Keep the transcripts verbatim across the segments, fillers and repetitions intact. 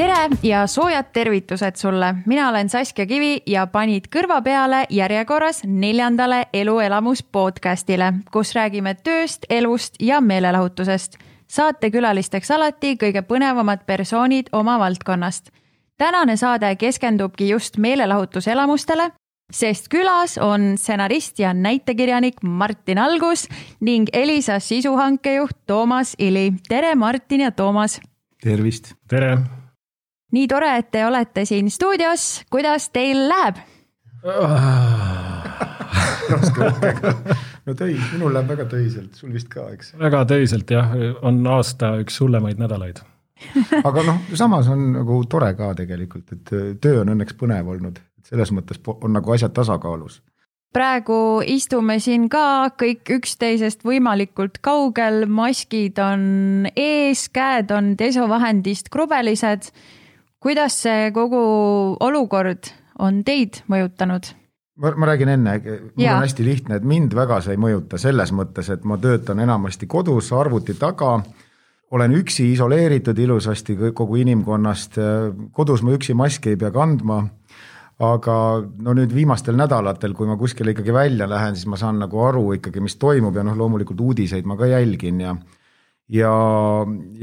Tere ja soojad tervitused sulle. Mina olen Saskia Kivi ja panid kõrva peale järjekorras neljandale Eluelamus podcastile, kus räägime tööst, elust ja meelelahutusest. Saate külalisteks alati kõige põnevamad persoonid oma valdkonnast. Tänane saade keskendubki just meelelahutuselamustele, sest külas on stsenarist ja näitekirjanik Martin Algus ning Elisa sisuhankejuht Toomas Ili. Tere Martin ja Toomas! Tervist! Tere! Nii tore, et te olete siin stuudios. Kuidas teil läheb? no töi, minul läheb väga töiselt, sul vist ka, eks? Väga töiselt, jah. On aasta üks hullemaid nädalaid. Aga noh, samas on nagu tore ka tegelikult, et töö on õnneks põnev olnud. Selles mõttes on nagu asjad tasakaalus. Praegu istume siin ka kõik üksteisest võimalikult kaugel. Maskid on ees, käed on desovahendist krubelised. Kuidas see kogu olukord on teid mõjutanud? Ma, ma räägin enne, mul ja. on hästi lihtne, et mind väga see ei mõjuta selles mõttes, et ma töötan enamasti kodus arvuti taga, olen üksi isoleeritud ilusasti kogu inimkonnast, kodus ma üksi maski ei pea kandma, aga no nüüd viimastel nädalatel, kui ma kuskile ikkagi välja lähen, siis ma saan nagu aru ikkagi, mis toimub ja noh, loomulikult uudiseid ma ka jälgin ja, ja,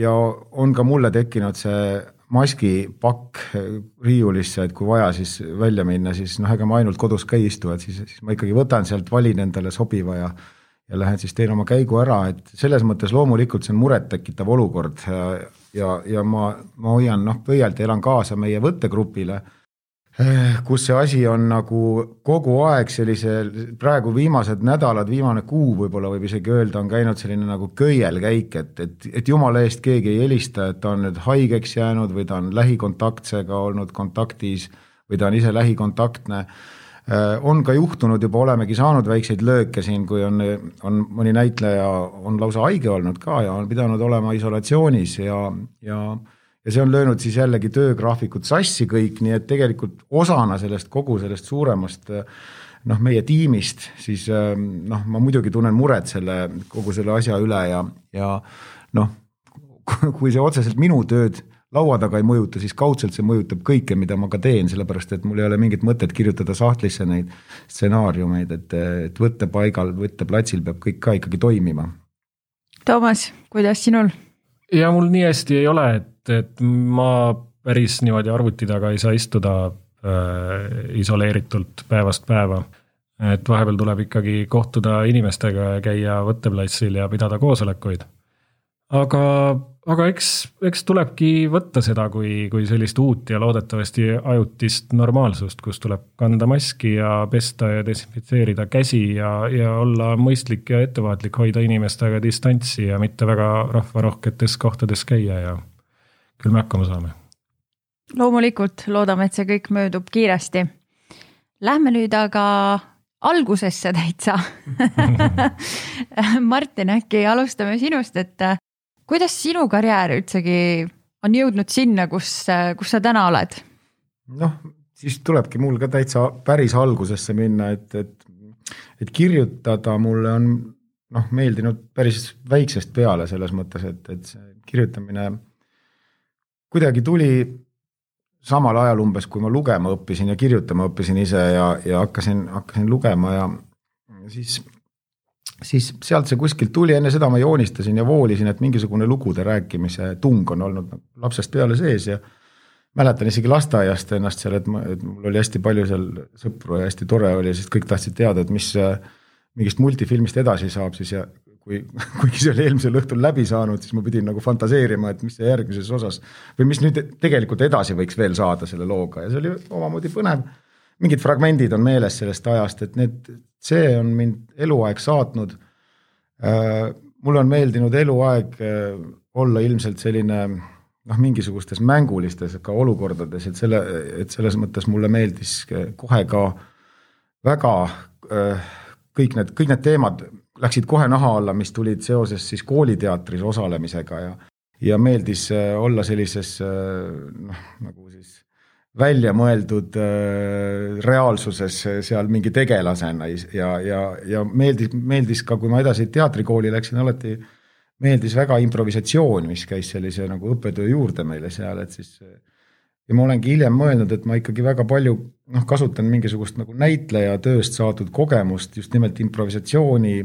ja on ka mulle tekkinud see maski pakk riiulisse, et kui vaja siis välja minna, siis noh, ega ma ainult kodus ka ei istu, et siis, siis ma ikkagi võtan sealt, valin endale sobiva ja, ja lähen siis teen oma käigu ära, et selles mõttes loomulikult see on muret tekitav olukord ja, ja, ja ma, ma hoian noh, pöialt ja elan kaasa meie võttegrupile, kus see asi on nagu kogu aeg sellise, praegu viimased nädalad, viimane kuu võib-olla võib isegi öelda, on käinud selline nagu köielkäik, et, et, et jumala eest keegi ei helista, et ta on nüüd haigeks jäänud või ta on lähikontaktsega olnud kontaktis või ta on ise lähikontaktne. On ka juhtunud, juba olemegi saanud väikseid lööke siin, kui on, on mõni näitleja on lausa haige olnud ka ja on pidanud olema isolatsioonis ja, ja Ja see on löönud siis jällegi töögraafikut sassi kõik, nii et tegelikult osana sellest kogu sellest suuremast noh, meie tiimist, siis noh, ma muidugi tunnen muret selle, kogu selle asja üle ja, ja noh, kui see otseselt minu tööd laua taga ei mõjuta, siis kaudselt see mõjutab kõike, mida ma ka teen, sellepärast et mul ei ole mingit mõtet kirjutada sahtlisse neid stsenaariumeid, et, et võtte paigal, võtte platsil peab kõik ka ikkagi toimima. Toomas, kuidas sinul? Ja mul nii hästi ei ole, et, et ma päris niimoodi arvuti taga ei saa istuda äh, isoleeritult päevast päeva. Et vahepeal tuleb ikkagi kohtuda inimestega ja käia võtteplatsil ja pidada koosolekuid. Aga, aga eks, eks tulebki võtta seda kui, kui sellist uut ja loodetavasti ajutist normaalsust, kus tuleb kanda maski ja pesta ja desinfitseerida käsi ja, ja olla mõistlik ja ettevaatlik, hoida inimestega distantsi ja mitte väga rahvarohketes kohtades käia ja küll me hakkama saame. Loomulikult loodame, et see kõik möödub kiiresti. Lähme nüüd aga algusesse täitsa. Martin, äkki alustame sinust, et kuidas sinu karjäär üldsegi on jõudnud sinna, kus, kus sa täna oled? Noh, siis tulebki mul ka täitsa päris algusesse minna, et, et, et kirjutada mulle on noh, meeldinud päris väiksest peale selles mõttes, et, et see kirjutamine kuidagi tuli samal ajal umbes, kui ma lugema õppisin ja kirjutama õppisin ise ja, ja hakkasin, hakkasin lugema ja siis siis sealt see kuskilt tuli, enne seda ma joonistasin ja voolisin, et mingisugune lugude rääkimise tung on olnud lapsest peale sees ja mäletan isegi lasteaiast ennast seal, et, ma, et mul oli hästi palju seal sõpru ja hästi tore oli, sest kõik tahtsid teada, et mis mingist multifilmist edasi saab siis ja kui, kuigi see oli eelmisel õhtul läbi saanud, siis ma pidin nagu fantaseerima, et mis see järgmises osas või mis nüüd tegelikult edasi võiks veel saada selle looga ja see oli omamoodi põnev. Mingid fragmendid on meeles sellest ajast, et need, see on mind eluaeg saatnud. Mulle on meeldinud eluaeg olla ilmselt selline noh, mingisugustes mängulistes ka olukordades, et, selle, et selles mõttes mulle meeldis kohe ka väga kõik need, kõik need teemad läksid kohe naha alla, mis tulid seoses siis kooliteatris osalemisega ja, ja meeldis olla sellises noh, nagu siis välja mõeldud reaalsuses seal mingi tegelasena ja, ja, ja meeldis, meeldis ka, kui ma edasi teatrikooli läksin, alati meeldis väga improvisatsioon, mis käis sellise nagu õppetöö juurde meile seal, et siis ja ma olengi hiljem mõelnud, et ma ikkagi väga palju noh, kasutan mingisugust nagu näitleja tööst saadud kogemust just nimelt improvisatsiooni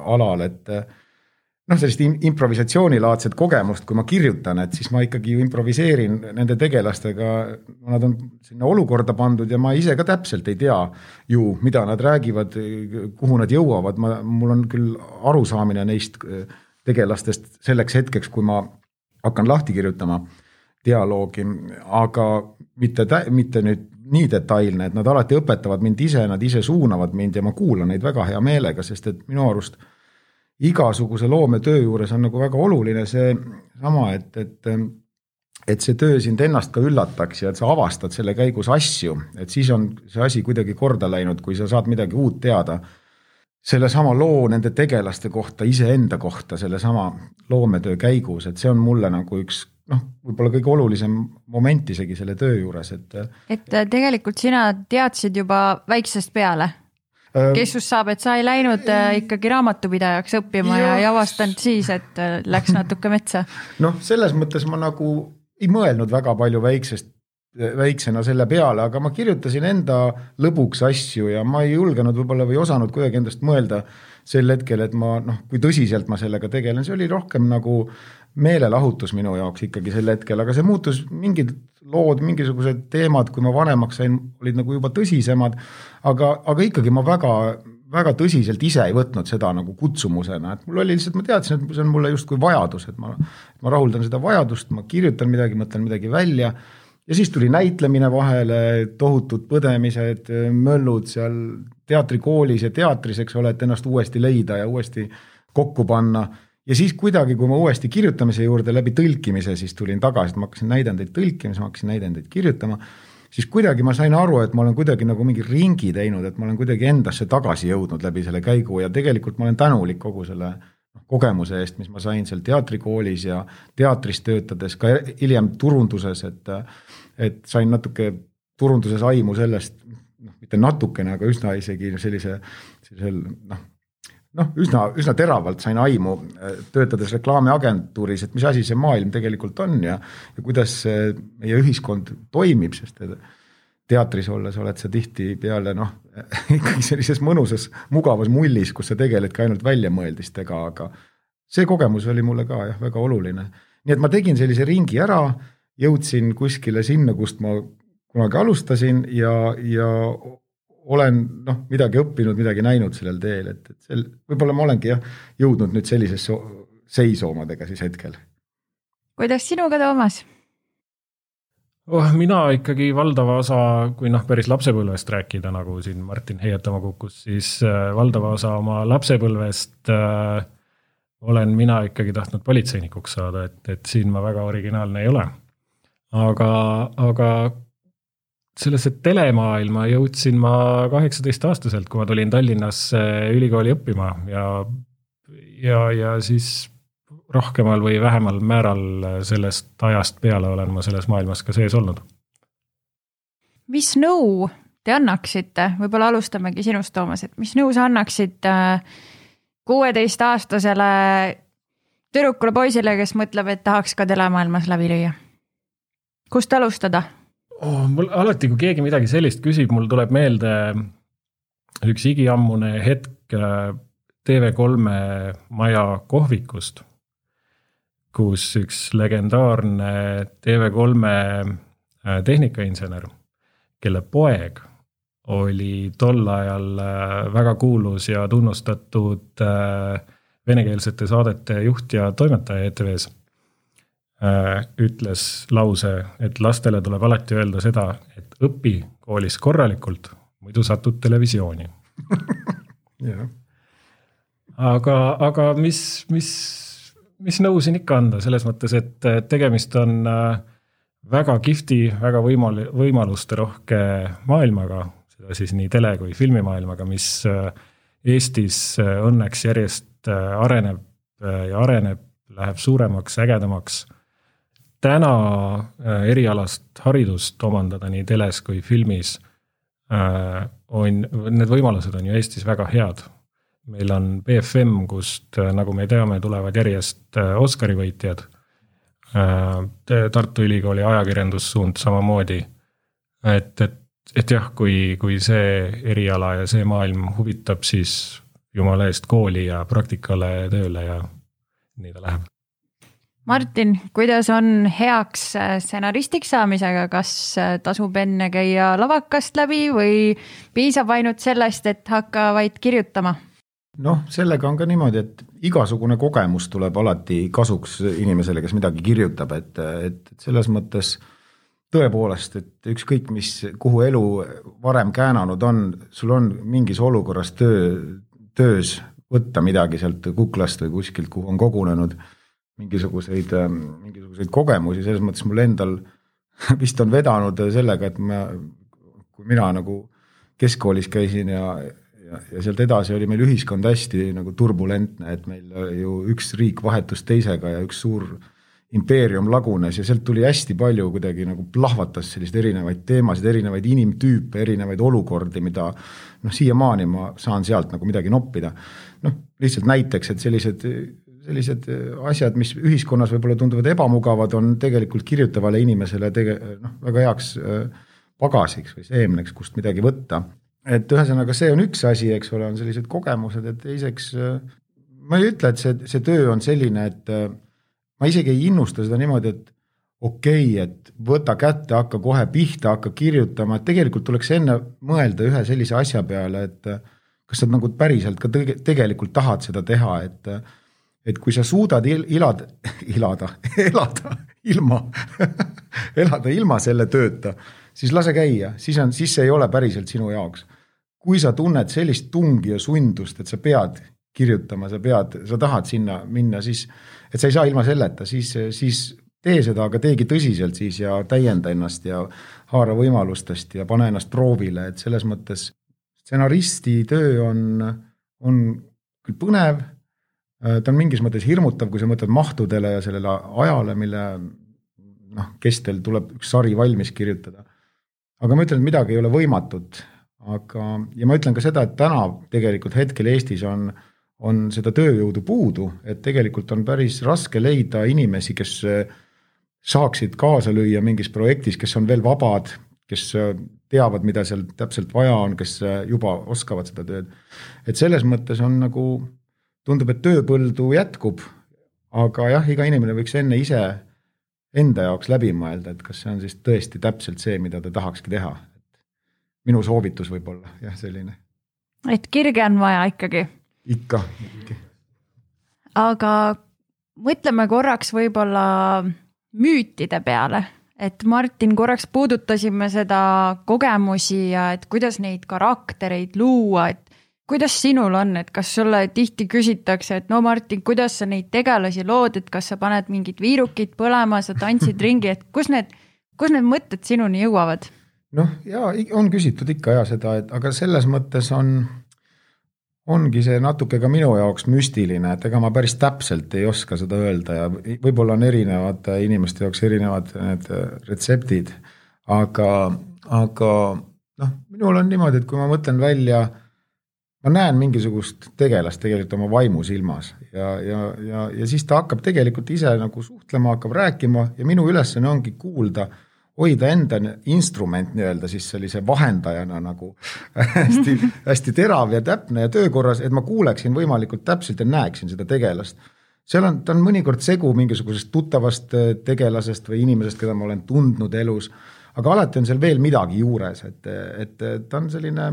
alal, et noh, sellist improvisatsioonilaadset kogemust, kui ma kirjutan, et siis ma ikkagi ju improviseerin nende tegelastega, nad on sinna olukorda pandud ja ma ise ka täpselt ei tea ju, mida nad räägivad, kuhu nad jõuavad, ma, mul on küll arusaamine neist tegelastest selleks hetkeks, kui ma hakkan lahti kirjutama dialoogi, aga mitte, mitte nüüd nii detailne, et nad alati õpetavad mind ise, nad ise suunavad mind ja ma kuulan neid väga hea meelega, sest et minu arust igasuguse loometöö juures on nagu väga oluline see sama, et, et, et see töö sind ennast ka üllataks ja et sa avastad selle käigus asju, et siis on see asi kuidagi korda läinud, kui sa saad midagi uut teada selle sama loo nende tegelaste kohta, iseenda kohta, selle sama loometöö käigus, et see on mulle nagu üks noh, võib-olla kõige olulisem moment isegi selle töö juures, et et tegelikult sina teadsid juba väiksest peale, kes just saab, et sa ei läinud ikkagi raamatupidajaks õppima ja, ja ei avastanud siis, et läks natuke metsa. Noh, selles mõttes ma nagu ei mõelnud väga palju väiksest, väiksena selle peale, aga ma kirjutasin enda lõbuks asju ja ma ei julgenud võib-olla või osanud kuidagi endast mõelda sel hetkel, et ma noh, kui tõsiselt ma sellega tegelen, see oli rohkem nagu meelelahutus minu jaoks ikkagi sel hetkel, aga see muutus mingid lood, mingisugused teemad, kui ma vanemaks sain, olid nagu juba tõsisemad, aga, aga ikkagi ma väga, väga tõsiselt ise ei võtnud seda nagu kutsumusena, et mul oli lihtsalt, ma teadsin, et see on mulle justkui vajadus, et ma, ma rahuldan seda vajadust, ma kirjutan midagi, mõtlen midagi välja ja siis tuli näitlemine vahele, tohutud põdemised, möllud seal teatrikoolis ja teatris, eks ole, et ennast uuesti leida ja uuesti kokku panna. Ja siis kuidagi, kui ma uuesti kirjutamise juurde läbi tõlkimise, siis tulin tagasi, et ma hakkasin näidendeid tõlkima, ma hakkasin näidendeid kirjutama, siis kuidagi ma sain aru, et ma olen kuidagi nagu mingi ringi teinud, et ma olen kuidagi endasse tagasi jõudnud läbi selle käigu ja tegelikult ma olen tänulik kogu selle kogemuse eest, mis ma sain seal teatrikoolis ja teatris töötades, ka hiljem turunduses, et, et sain natuke turunduses aimu sellest, noh, mitte natukene, aga üsna isegi sellise, sellisel, noh, noh, üsna, üsna teravalt sain aimu töötades reklaamiagentuuris, et mis asi see maailm tegelikult on ja, ja kuidas meie ühiskond toimib, sest teatris olles oled sa tihti peale noh, ikkagi sellises mõnusas, mugavas mullis, kus sa tegeledki ainult väljamõeldistega, aga see kogemus oli mulle ka jah, väga oluline. Nii et ma tegin sellise ringi ära, jõudsin kuskile sinna, kust ma kunagi alustasin ja, ja olen noh, midagi õppinud, midagi näinud sellel teel, et, et sel, võib-olla ma olengi jah, jõudnud nüüd sellisesse seisu omadega siis hetkel. Kuidas sinuga, Toomas? Oh, mina ikkagi valdava osa, kui noh, päris lapsepõlvest rääkida, nagu siin Martin heietama kukkus, siis valdava osa oma lapsepõlvest äh, olen mina ikkagi tahtnud politseinikuks saada, et, et siin ma väga originaalne ei ole. Aga, aga sellesse telemaailma jõudsin ma kaheksateist aastaselt, kui ma tulin Tallinnasse ülikooli õppima ja, ja, ja siis rohkemal või vähemal määral sellest ajast peale olen ma selles maailmas ka sees olnud. Mis nõu te annaksite, võib-olla alustamegi sinust, Toomas, et mis nõu sa annaksid kuueteistaastasele tüdrukule poisile, kes mõtleb, et tahaks ka telemaailmas läbi lüüa? Kust alustada? Oh, mul alati, kui keegi midagi sellist küsib, mul tuleb meelde üks igiammune hetk T V kolme maja kohvikust, kus üks legendaarne T V kolme tehnikainsener, kelle poeg oli tol ajal väga kuulus ja tunnustatud venekeelsete saadete juht ja toimetaja E T V-s, ütles lause, et lastele tuleb alati öelda seda, et õpi koolis korralikult, muidu satud televisiooni. yeah. Aga, aga mis, mis, mis nõu siin ikka anda, selles mõttes, et tegemist on väga kihvti, väga võimal, võimaluste rohke maailmaga, seda siis nii tele- kui filmimaailmaga, mis Eestis õnneks järjest areneb ja areneb, läheb suuremaks, ägedamaks. Täna erialast haridust omandada nii teles kui filmis on, need võimalused on ju Eestis väga head. Meil on B F M, kust, nagu me teame, tulevad järjest Oscari võitjad, Tartu Ülikooli ajakirjandussuund samamoodi. Et, et, et jah, kui, kui see eriala ja see maailm huvitab, siis jumala eest kooli ja praktikale tööle ja nii ta läheb. Martin, kuidas on heaks stsenaristiks saamisega, kas tasub enne käia lavakast läbi või piisab ainult sellest, et hakka vaid kirjutama? Noh, sellega on ka niimoodi, et igasugune kogemus tuleb alati kasuks inimesele, kes midagi kirjutab, et, et selles mõttes tõepoolest, et ükskõik mis, kuhu elu varem käänanud on, sul on mingis olukorras töö, töös võtta midagi sealt kuklast või kuskilt, kuhu on kogunenud mingisuguseid, mingisuguseid kogemusi, selles mõttes mul endal vist on vedanud sellega, et ma, kui mina nagu keskkoolis käisin ja, ja, ja sealt edasi oli meil ühiskond hästi nagu turbulentne, et meil ju üks riik vahetus teisega ja üks suur impeerium lagunes ja sealt tuli hästi palju kuidagi nagu plahvatas sellist erinevaid teemasid, erinevaid inimtüüpe, erinevaid olukordi, mida noh, siiamaani ma saan sealt nagu midagi noppida. Noh, lihtsalt näiteks, et sellised sellised asjad, mis ühiskonnas võib-olla tunduvad ebamugavad, on tegelikult kirjutavale inimesele tege, noh, väga heaks pagasiks või seemneks, kust midagi võtta. Et ühesõnaga see on üks asi, eks ole, on sellised kogemused, et teiseks ma ei ütle, et see, see töö on selline, et ma isegi ei innusta seda niimoodi, et okei, okay, et võta kätte, hakka kohe pihta, hakka kirjutama, et tegelikult tuleks enne mõelda ühe sellise asja peale, et kas sa nagu päriselt ka tegelikult tahad seda teha, et et kui sa suudad il, ilad, ilada, elada ilma, elada ilma selle tööta, siis lase käia, siis, on, siis see ei ole päriselt sinu jaoks. Kui sa tunned sellist tungi ja sundust, et sa pead kirjutama, sa pead, sa tahad sinna minna, siis, et sa ei saa ilma selleta, siis, siis tee seda, aga teegi tõsiselt siis ja täienda ennast ja haara võimalustest ja pane ennast proovile, et selles mõttes stsenaristi töö on, on küll põnev, ta on mingis mõttes hirmutav, kui sa mõtled mahtudele ja sellele ajale, mille noh, kestel tuleb üks sari valmis kirjutada. Aga ma ütlen, et midagi ei ole võimatut. Aga, ja ma ütlen ka seda, et täna tegelikult hetkel Eestis on, on seda tööjõudu puudu, et tegelikult on päris raske leida inimesi, kes saaksid kaasa lüüa mingis projektis, kes on veel vabad, kes teavad, mida seal täpselt vaja on, kes juba oskavad seda tööd. Et selles mõttes on nagu tundub, et tööpõldu jätkub, aga jah, iga inimene võiks enne ise enda jaoks läbi mõelda, et kas see on siis tõesti täpselt see, mida ta tahakski teha. Minu soovitus võib olla, jah, selline. Et kirge on vaja ikkagi. Ikka. Ikka. Aga mõtleme korraks võib-olla müütide peale, et Martin, korraks puudutasime seda kogemusi ja et kuidas neid karaktereid luua, et kuidas sinul on, et kas sulle tihti küsitakse, et no Martin, kuidas sa neid tegelasi lood, et kas sa paned mingid viirukid põlema, sa tantsid ringi, et kus need, kus need mõtted sinuni jõuavad? Noh, jaa, on küsitud ikka ja seda, et, aga selles mõttes on, ongi see natuke ka minu jaoks müstiline, et ega ma päris täpselt ei oska seda öelda ja võib-olla on erinevad inimeste jaoks erinevad need retseptid, aga, aga noh, minul on niimoodi, et kui ma mõtlen välja ma näen mingisugust tegelast tegelikult oma vaimus ilmas ja, ja, ja, ja siis ta hakkab tegelikult ise nagu suhtlema, hakkab rääkima ja minu ülesanne ongi kuulda, hoida enda instrument nii-öelda siis sellise vahendajana nagu hästi, hästi terav ja täpne ja töökorras, et ma kuuleksin võimalikult täpselt ja näeksin seda tegelast. Seal on, ta on mõnikord segu mingisugusest tuttavast tegelasest või inimesest, keda ma olen tundnud elus, aga alati on seal veel midagi juures, et, et ta on selline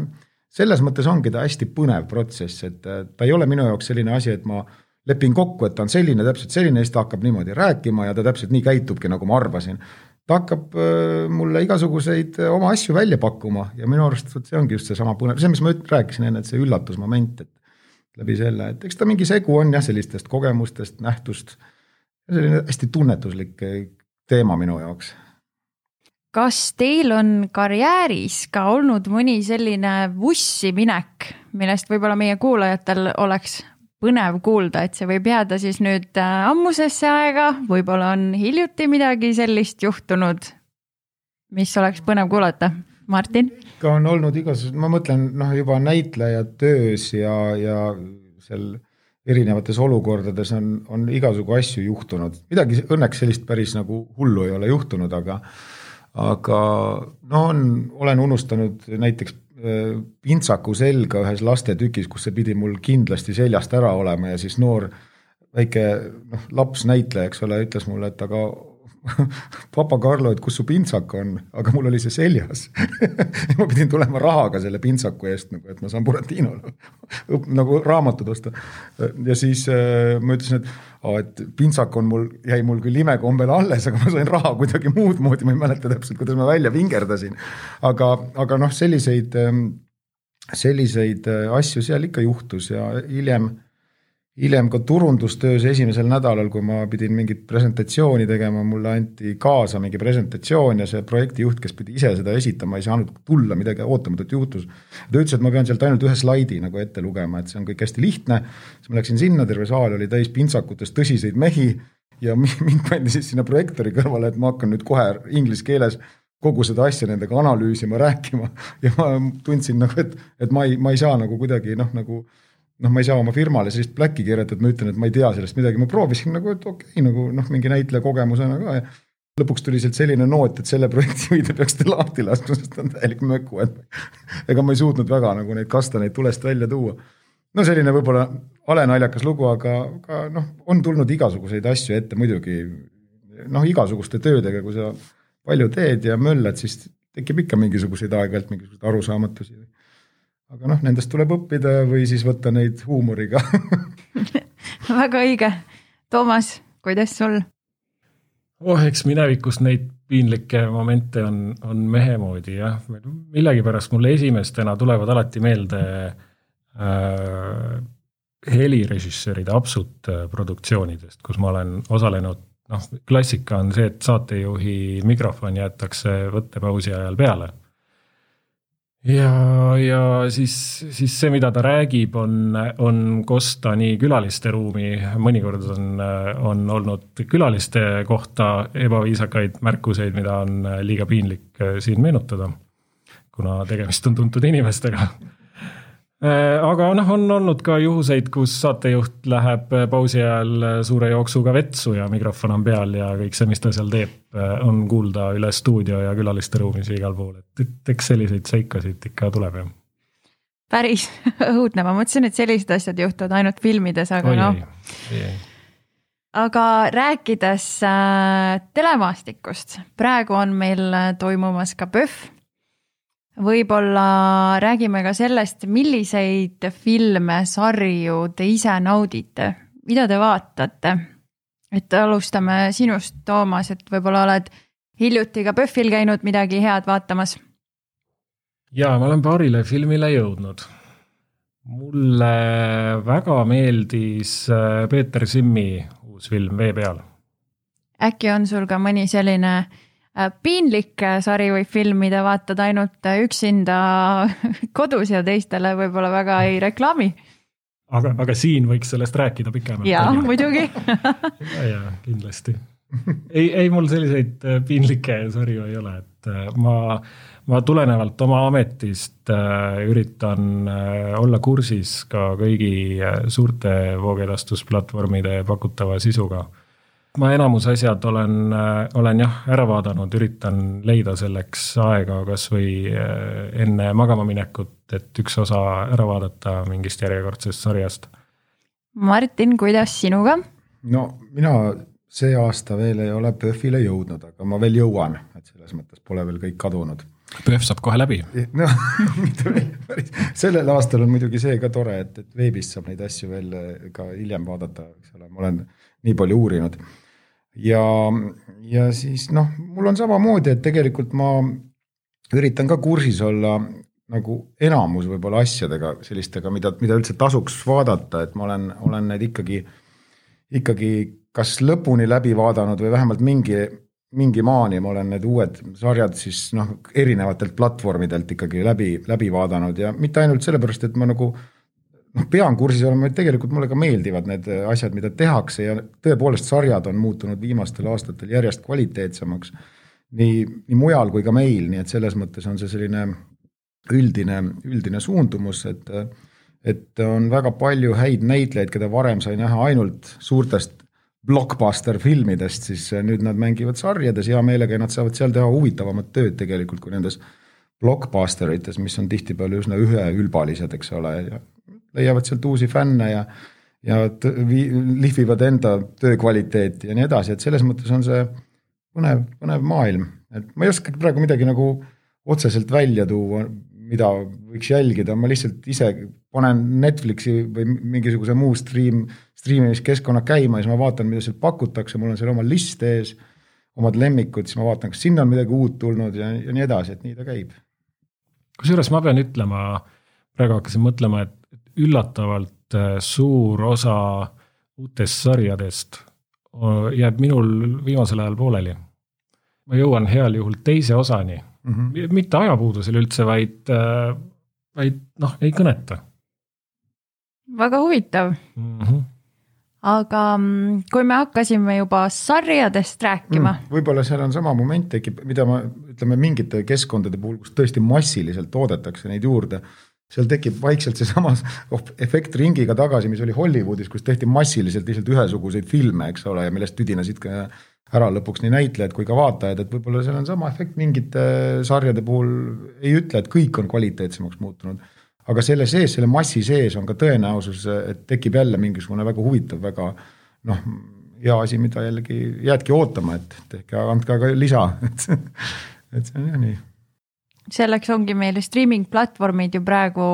selles mõttes ongi ta hästi põnev protsess, et ta ei ole minu jaoks selline asi, et ma lepin kokku, et ta on selline, täpselt selline, siis ta hakkab niimoodi rääkima ja ta täpselt nii käitubki, nagu ma arvasin. Ta hakkab mulle igasuguseid oma asju välja pakkuma ja minu arust see ongi just see sama põnev, see, mis ma rääkisin enne, et see üllatusmoment, et läbi selle, et eks ta mingi segu on jah sellistest kogemustest, nähtust, selline hästi tunnetuslik teema minu jaoks. Kas teil on karjääris ka olnud mõni selline vussi minek, millest võib-olla meie kuulajatel oleks põnev kuulda, et see võib jääda siis nüüd ammusesse aega, võib-olla on hiljuti midagi sellist juhtunud, mis oleks põnev kuulata? Martin? Ka on olnud igasugused, ma mõtlen noh, juba näitlejad töös ja, ja seal erinevates olukordades on, on igasugu asju juhtunud. Midagi õnneks sellist päris nagu hullu ei ole juhtunud, aga, aga no on, olen unustanud näiteks pintsaku selga ühes lastetükis, kus see pidi mul kindlasti seljast ära olema ja siis noor väike noh, laps näitleja, eks ole, ütles mulle, et aga papa Karlo, et kus su pintsak on, aga mul oli see seljas. ma pidin tulema rahaga selle pintsaku eest, nagu, et ma saan Buratinole nagu raamatud osta. Ja siis äh, ma ütlesin, et, oh, et pintsak on mul, jäi mul küll imekombel alles, aga ma sain raha kuidagi muud moodi, ma ei mäleta täpselt, kuidas ma välja vingerdasin. Aga, aga noh, selliseid, selliseid asju seal ikka juhtus ja hiljem Hiljem ka turundustöös esimesel nädalal, kui ma pidin mingit presentatsiooni tegema, mulle anti kaasa mingi presentatsioon ja see projektijuht, kes pidi ise seda esitama, ei saanud tulla, midagi ootamatut juhtus. Ta ütles, et ma pean sealt ainult ühe slaidi nagu ette lugema, et see on kõik hästi lihtne. Siis ma läksin sinna, terve saal oli täis pintsakutest tõsiseid mehi ja mind pandi siis sinna projektori kõrvale, et ma hakkan nüüd kohe inglise keeles kogu seda asja nendega analüüsima, rääkima ja ma tundsin nagu, et, et ma, ei, ma ei saa nagu kuidagi noh, nagu noh, ma ei saa oma firmale sellist pläkki keerata, et ma ütlen, et ma ei tea sellest midagi. Ma proovisin nagu, et okei, okay, nagu noh, mingi näitleja kogemusena ka. Ja lõpuks tuli sealt selline noot, et selle projekti võide peaks te lahti laskma, sest on täielik möku. Et ega ma ei suutnud väga nagu neid kastaneid tulest välja tuua. No selline võib-olla alenaljakas lugu, aga, aga noh, on tulnud igasuguseid asju ette muidugi. Noh, igasuguste töödega, kui sa palju teed ja möllad, siis tekib ikka mingisuguseid aeg-vält mingisuguseid arusaamatusi. Aga noh, nendest tuleb õppida või siis võtta neid huumoriga. Väga õige. Toomas, kuidas sul? Oh, eks minevikust neid piinlikke momente on, on mehe moodi. Jah. Millegi pärast mulle esimestena tulevad alati meelde äh, helirežissööride absut produktsioonidest, kus ma olen osalenud. Noh, klassika on see, et saatejuhi mikrofon jäetakse võttepausi ajal peale. Ja, ja siis, siis see, mida ta räägib, on, on kosta nii külaliste ruumi. Mõnikord on, on olnud külaliste kohta ebaviisakaid märkuseid, mida on liiga piinlik siin meenutada, kuna tegemist on tuntud inimestega. Aga noh, on olnud ka juhuseid, kus saatejuht läheb pausi ajal suure jooksuga vetsu ja mikrofon on peal ja kõik see, mis ta seal teeb, on kuulda üle stuudio ja külaliste ruumis ja igal pool. Et, et eks selliseid seikasid ikka tuleb. Ja. Päris õudne. Ma mõtlesin, et sellised asjad juhtuvad ainult filmides, aga Oi, noh. ei, ei. Aga rääkides äh, telemaastikust, praegu on meil toimumas ka P Ö F. Võib-olla räägime ka sellest, milliseid filme, sarju te ise naudite, mida te vaatate. Et alustame sinust, Toomas, et võib-olla oled hiljuti ka P Ö F-il käinud midagi head vaatamas. Jaa, ma olen paarile filmile jõudnud. Mulle väga meeldis Peeter Simmi uus film Vee peal. Äkki on sul ka mõni selline piinlik sari või film, mida vaatad ainult üksinda kodus ja teistele võib-olla väga ei reklaami. Aga, aga siin võiks sellest rääkida pikemalt. Jaa, muidugi. ja, ja, kindlasti. Ei, ei mul selliseid piinlikke sarju ei ole, et ma, ma tulenevalt oma ametist üritan olla kursis ka kõigi suurte voogedastusplatvormide pakutava sisuga. Ma enamus asjad olen, olen jah, ära vaadanud, üritan leida selleks aega kas või enne magama minekut, et üks osa ära vaadata mingist järjekordsest sarjast. Martin, kuidas sinuga? No mina see aasta veel ei ole P Ö F-ile jõudnud, aga ma veel jõuan, et selles mõttes pole veel kõik kadunud. P Ö F saab kohe läbi. No, sellel aastal on muidugi see ka tore, et, et veebis saab neid asju veel ka hiljem vaadata, eks ole, ma olen nii palju uurinud. Ja, ja siis noh, mul on samamoodi, et tegelikult ma üritan ka kursis olla nagu enamus võib-olla asjadega, sellistega, mida, mida üldse tasuks vaadata, et ma olen, olen need ikkagi, ikkagi kas lõpuni läbi vaadanud või vähemalt mingi, mingi maani ma olen need uued sarjad siis noh, erinevatelt platvormidelt ikkagi läbi, läbi vaadanud ja mitte ainult sellepärast, et ma nagu noh, pean kursis olema, et tegelikult mulle ka meeldivad need asjad, mida tehakse ja tõepoolest sarjad on muutunud viimastel aastatel järjest kvaliteetsemaks nii, nii mujal kui ka meil, nii et selles mõttes on see selline üldine, üldine suundumus, et, et on väga palju häid näitlejaid, keda varem sai näha ainult suurtest blockbuster filmidest, siis nüüd nad mängivad sarjades hea meelega ja nad saavad seal teha huvitavamat tööd tegelikult kui nendes blockbusterites, mis on tihtipeale üsna üheülbalised, eks ole, ja leiavad sealt uusi fänne ja, ja t- lihvivad enda töökvaliteeti ja nii edasi, et selles mõttes on see põnev, põnev maailm. Et ma ei oska praegu midagi nagu otseselt välja tuua, mida võiks jälgida, ma lihtsalt ise panen Netflixi või mingisuguse muu stream, streamimiskeskkonna käima ja siis ma vaatan, mida seal pakutakse, mul on seal oma list ees, omad lemmikud, siis ma vaatan, kas sinna on midagi uut tulnud ja, ja nii edasi, et nii ta käib. Kusjuures ma pean ütlema, praegu hakkasin mõtlema, et üllatavalt suur osa uutest sarjadest jääb minul viimasel ajal pooleli. Ma jõuan heal juhul teise osani, mm-hmm. mitte ajapuudusel üldse, vaid, vaid noh, ei kõneta. Väga huvitav. Mm-hmm. Aga kui me hakkasime juba sarjadest rääkima. Mm, võib-olla seal on sama moment tekib, mida ma ütleme mingite keskkondade puhul, kus tõesti massiliselt toodetakse neid juurde, seal tekib vaikselt see sama efekt ringiga tagasi, mis oli Hollywoodis, kus tehti massiliselt lihtsalt ühesuguseid filme, eks ole, ja millest tüdinasid ära lõpuks nii näitlejad kui ka vaatajad, et võib-olla seal on sama efekt mingite sarjade puhul, ei ütle, et kõik on kvaliteetsemaks muutunud, aga selle sees, selle massi sees on ka tõenäosus, et tekib jälle mingisugune väga huvitav, väga noh, hea asi, mida jällegi jäädki ootama, et tehke andke ka lisa, et, et see on jah nii. Selleks ongi meil streaming platvormid ju praegu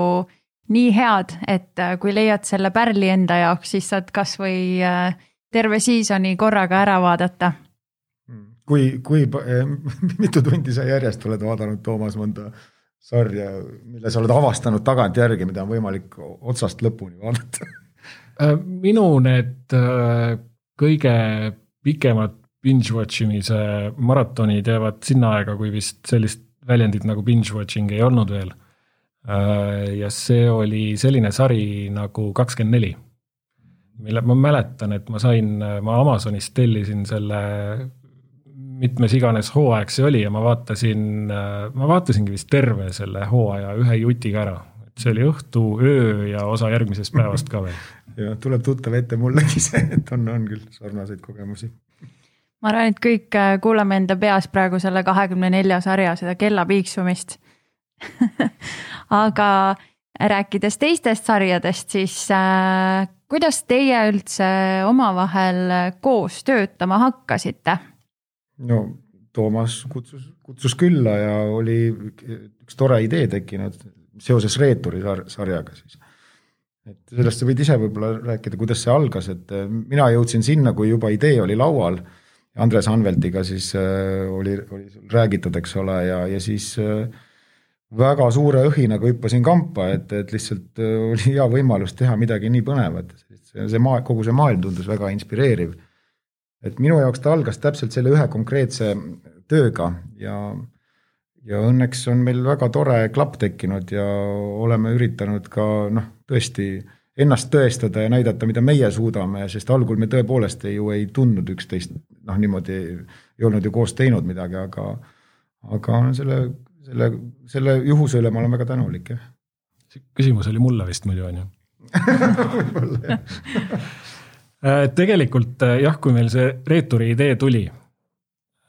nii head, et kui leiad selle pärli enda jaoks, siis saad kas või terve seasoni korraga ära vaadata. Kui, kui mitu tundi sa järjest oled vaadanud, Toomas, mõnda sarja, mille sa oled avastanud tagant järgi, mida on võimalik otsast lõpuni vaadata? Minu need kõige pikemad binge-watchimise maratonid jäävad sinna aega, kui vist sellist väljendid nagu binge-watching ei olnud veel. Ja see oli selline sari nagu kakskümmend neli, mille ma mäletan, et ma sain, ma Amazonis tellisin selle mitmes iganes hooaeg see oli ja ma vaatasin, ma vaatasingi vist terve selle hooaja ühe jutiga ära. Et see oli õhtu, öö ja osa järgmisest päevast ka veel. Ja tuleb tuttav ette mullegi see, et on, on küll sarnaseid kogemusi. Ma arvan, et kõik kuulame enda peas praegu selle kahekümne nelja sarja, seda kella piiksumist. Aga rääkides teistest sarjadest, siis äh, kuidas teie üldse omavahel koos töötama hakkasite? No Toomas kutsus, kutsus külla ja oli üks tore idee tekkinud seoses Reeturi sarjaga siis. Et sellest sa võid ise võib-olla rääkida, kuidas see algas, et mina jõudsin sinna, kui juba idee oli laual. Andres Anveltiga siis oli, oli räägitud, eks ole, ja, ja siis väga suure õhinaga hüppasin kampa, et, et lihtsalt oli hea võimalus teha midagi nii põnevat. See, see maa, kogu see maailm tundus väga inspireeriv. Et minu jaoks ta algas täpselt selle ühe konkreetse tööga ja, ja õnneks on meil väga tore klapp tekkinud ja oleme üritanud ka noh, tõesti ennast tõestada ja näidata, mida meie suudame, sest algul me tõepoolest ei, ju ei tundnud üksteist, noh niimoodi ei olnud ju koos teinud midagi, aga, aga selle, selle, selle juhuse üle ma olen väga tänulik. Ja. Küsimus oli mulle vist muidu on ju. Võib-olla jah. Tegelikult jah, kui meil see Reeturi idee tuli,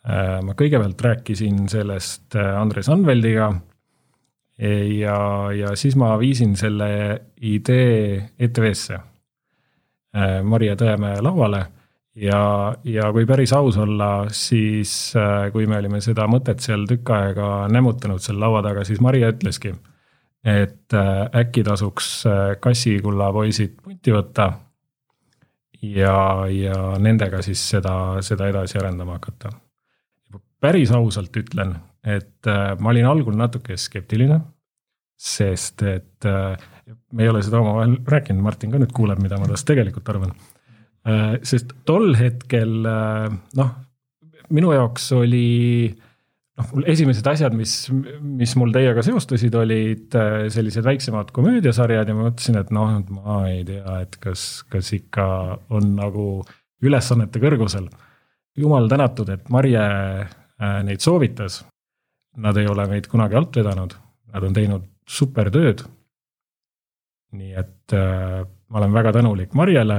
ma kõigepealt rääkisin sellest Andres Anveldiga ja, ja siis ma viisin selle idee E T V-sse Maria Tõemäe lauale ja, ja kui päris aus olla, siis kui me olime seda mõtet seal tükk aega nämutanud seal laua taga, siis Maria ütleski, et äkki tasuks Kassikulla poisid punti võtta ja, ja nendega siis seda, seda edasi arendama hakata. Päris ausalt ütlen, et ma olin algul natuke skeptiline, sest et me ei ole seda omavahel rääkinud, Martin ka nüüd kuuleb, mida ma tast tegelikult arvan. Sest tol hetkel, noh, minu jaoks oli noh, esimesed asjad, mis, mis mul teiega seostusid, olid sellised väiksemad komöödiasarjad ja ma mõtlesin, et noh, ma ei tea, et kas, kas ikka on nagu ülesannete kõrgusel. Jumal tänatud, et Marje neid soovitas. Nad ei ole meid kunagi alt vedanud. Nad on teinud super tööd. nii et äh, ma olen väga tänulik Marjele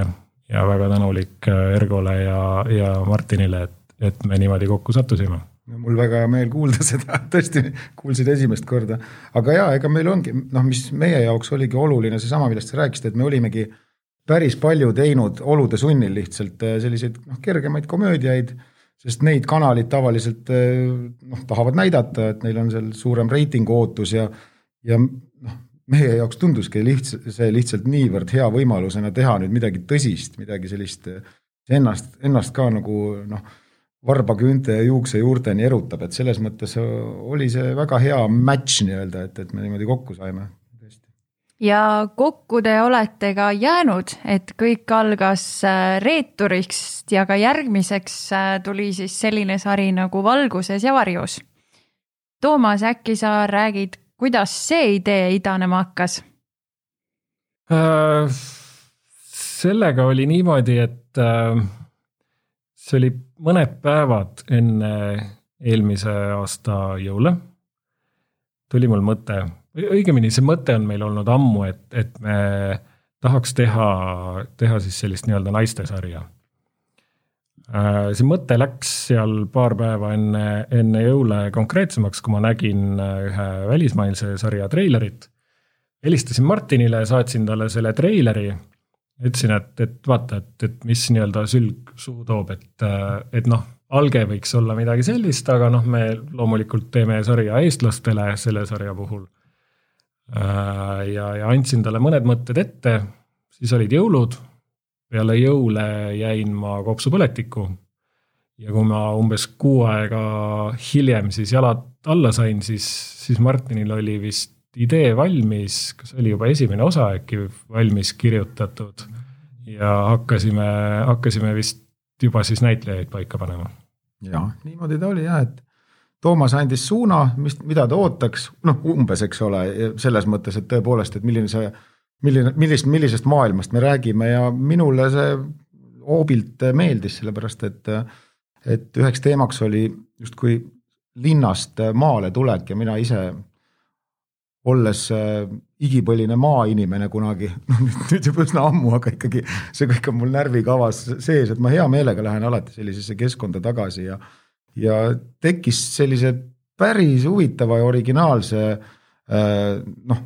ja väga tänulik Ergole ja, ja Martinile, et, et me niimoodi kokku sattusime. Mul väga hea meel kuulda seda, tõesti kuulsid esimest korda. Aga jaa, ega meil ongi, noh, mis meie jaoks oligi oluline, see sama, millest sa rääkisid, et me olimegi päris palju teinud olude sunnil lihtsalt selliseid noh, kergemaid komöödiaid, sest neid kanalid tavaliselt noh, tahavad näidata, et neil on seal suurem reitingu ootus ja, ja noh, meie jaoks tunduski lihtsalt, see lihtsalt niivõrd hea võimalusena teha nüüd midagi tõsist, midagi sellist ennast, ennast ka nagu noh, varbaküünte ja juukse juurteni erutab, et selles mõttes oli see väga hea match nii-öelda, et, et me niimoodi kokku saime. Ja kokku te olete ka jäänud, et kõik algas reeturist ja ka järgmiseks tuli siis selline sari nagu Valguses ja varjus. Toomas, äkki sa räägid, kuidas see idee idanema hakkas? Äh, sellega oli niimoodi, et äh, see oli mõned päevad enne eelmise aasta jõule. Tuli mul mõte, õigemini see mõte on meil olnud ammu, et, et me tahaks teha, teha siis sellist nii-öelda naiste sarja. See mõte läks seal paar päeva enne, enne jõule konkreetsemaks, kui ma nägin ühe välismailse sarja treilerit. Helistasin Martinile, saatsin talle selle treileri, ütlesin, et, et vaata, et, et mis nii-öelda sülg suhu toob, et, et noh, alge võiks olla midagi sellist, aga noh, me loomulikult teeme sarja eestlastele selle sarja puhul. Ja, ja andsin talle mõned mõtted ette, siis olid jõulud, peale jõule jäin ma kopsupõletiku ja kui ma umbes kuu aega hiljem siis jalad alla sain, siis, siis Martinil oli vist idee valmis, kas oli juba esimene osa äkki valmis kirjutatud ja hakkasime, hakkasime vist juba siis näitlejaid paika panema. Ja, niimoodi ta oli jah, et Toomas andis suuna, mis, mida ta ootaks, noh umbes, eks ole, selles mõttes, et tõepoolest, et milline see, milline, millist, millisest maailmast me räägime ja minule see hoobilt meeldis, sellepärast, et, et üheks teemaks oli just kui linnast maale tulek ja mina ise olles igipõline maainimene kunagi, no nüüd juba üsna ammu, aga ikkagi see kõik on mul närvikavas sees, et ma hea meelega lähen alati sellisesse keskkonda tagasi ja, ja tekkis sellise päris huvitava ja originaalse noh,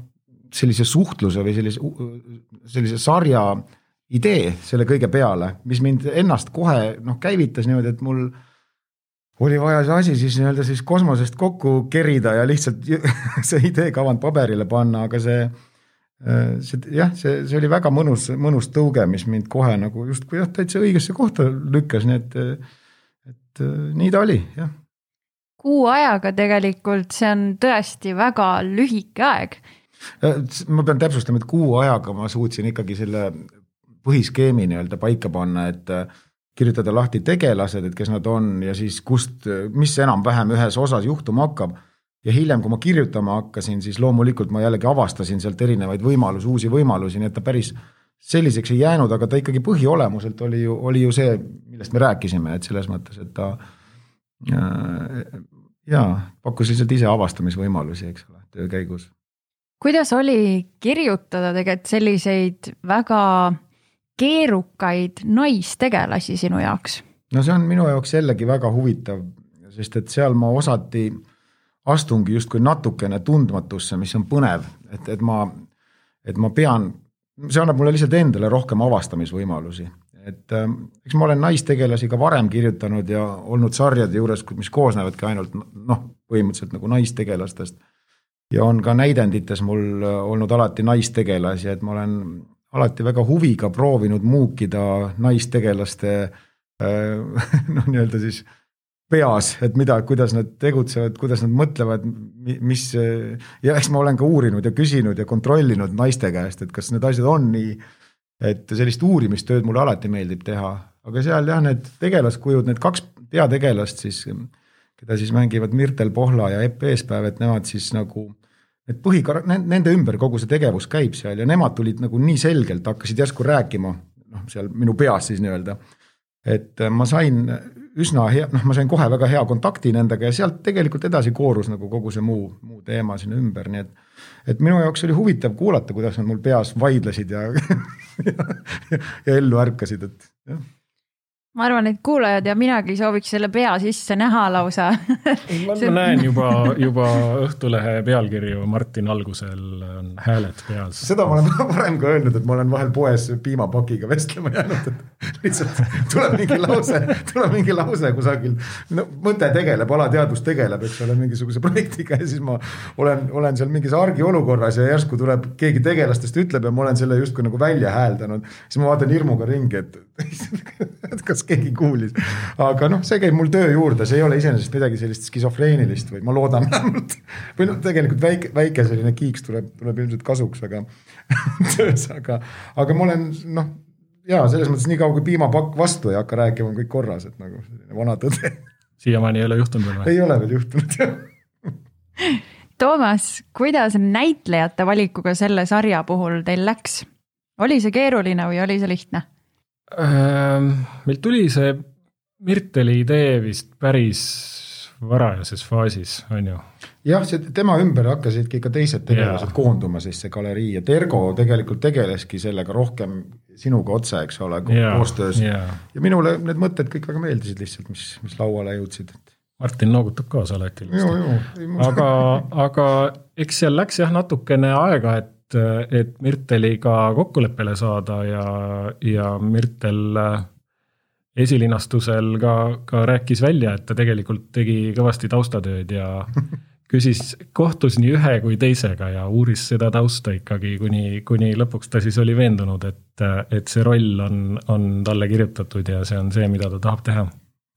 sellise suhtluse või sellise, sellise sarja idee selle kõige peale, mis mind ennast kohe noh, käivitas niimoodi, et mul oli vaja see asi siis nii-öelda siis kosmosest kokku kerida ja lihtsalt see idee kavand paberile panna, aga see, see jah, see, see oli väga mõnus, mõnus tõuge, mis mind kohe nagu just kui jah, täitsa õigesse kohta lükkas, nii et, et nii ta oli, jah. Kuu ajaga tegelikult, see on tõesti väga lühike aeg. Ma pean täpsustama, et kuu ajaga ma suutsin ikkagi selle põhiskeemi nii-öelda paika panna, et kirjutada lahti tegelased, et kes nad on ja siis kust, mis enam vähem ühes osas juhtuma hakkab. Ja hiljem, kui ma kirjutama hakkasin, siis loomulikult ma jällegi avastasin sealt erinevaid võimalusi, uusi võimalusi, nii et ta päris selliseks ei jäänud, aga ta ikkagi põhiolemuselt oli ju, oli ju see, millest me rääkisime, et selles mõttes, et ta ja, pakkus lihtsalt ise avastamisvõimalusi, eks ole, töö käigus. Kuidas oli kirjutada tegelikult selliseid väga keerukaid naistegelasi sinu jaoks? No see on minu jaoks jällegi väga huvitav, sest et seal ma osati astungi just kui natukene tundmatusse, mis on põnev, et, et, ma, et ma pean, see annab mulle lihtsalt endale rohkem avastamisvõimalusi. Et eks ma olen naistegelasi ka varem kirjutanud ja olnud sarjade juures, mis koosnevadki ainult noh, põhimõtteliselt nagu naistegelastest. Ja on ka näidendites mul olnud alati naistegelasi, et ma olen alati väga huviga proovinud muukida naistegelaste noh, nii-öelda siis peas, et mida, kuidas nad tegutsevad, kuidas nad mõtlevad, mis, ja eks ma olen ka uurinud ja küsinud ja kontrollinud naiste käest, et kas need asjad on nii, et sellist uurimistööd mulle alati meeldib teha, aga seal jah, need tegelaskujud, need kaks peategelast siis, keda siis mängivad Mirtel Pohla ja Epp Eespäev, et nemad siis nagu et põhikar-, nende ümber kogu see tegevus käib seal ja nemad tulid nagu nii selgelt, hakkasid järsku rääkima, noh, seal minu peas siis nii-öelda, et ma sain üsna hea, noh, ma sain kohe väga hea kontakti nendega ja sealt tegelikult edasi koorus nagu kogu see muu, muu teema sinna ümber, nii et et minu jaoks oli huvitav kuulata, kuidas nad mul peas vaidlesid ja, ja, ja ellu ärkasid, et jah. Ma arvan, et kuulajad ja minagi sooviks selle pea sisse näha lausa. Ma näen juba, juba Õhtulehe pealkirju Martin algusel on hääled peas. Seda ma olen varem ka öelnud, et ma olen vahel poes piimapakiga vestlema jäänud, et lihtsalt tuleb mingi lause, tuleb mingi lause kusagil, no mõte tegeleb, alateadvus tegeleb, eks ole, mingisuguse projektiga ja siis ma olen, olen seal mingis argi olukorras ja järsku tuleb keegi tegelastest ütleb ja ma olen selle justkui nagu välja hääldanud, siis ma vaatan hirmuga ringi, et et kas keegi kuulis, aga noh, see käib mul töö juurde, see ei ole iseenesest midagi sellist skisofreenilist või ma loodan vähemalt, või noh, tegelikult väike, väike selline kiiks tuleb, tuleb ilmselt kasuks, aga töös, aga, aga ma olen, noh, jaa, selles mõttes nii kaua kui piimapakk vastu ei hakka rääkima, on kõik korras, et nagu vana tõde. Siiamaani ei ole juhtunud veel või? Ei ole veel juhtunud, jah. Toomas, kuidas näitlejate valikuga selle sarja puhul teil läks? Oli see keeruline või oli see lihtne? Meil tuli see Mirteli idee vist päris varajases faasis, on ju? Jah, see, tema ümber hakkasidki ikka teised tegelased yeah. koonduma siis see galerii ja Tergo tegelikult tegeleski sellega rohkem sinuga otse, eks ole, yeah. koostöös. Yeah. Ja minule need mõtted kõik väga meeldisid lihtsalt, mis, mis lauale jõudsid. Martin noogutab kaasa alati. Aga, aga eks seal läks jah natukene aega, et et Mirteliga kokkuleppele saada ja, ja Mirtel esilinastusel ka, ka rääkis välja, et ta tegelikult tegi kõvasti taustatööd ja küsis, kohtus nii ühe kui teisega ja uuris seda tausta ikkagi, kuni, kuni lõpuks ta siis oli veendunud, et, et see roll on, on talle kirjutatud ja see on see, mida ta tahab teha.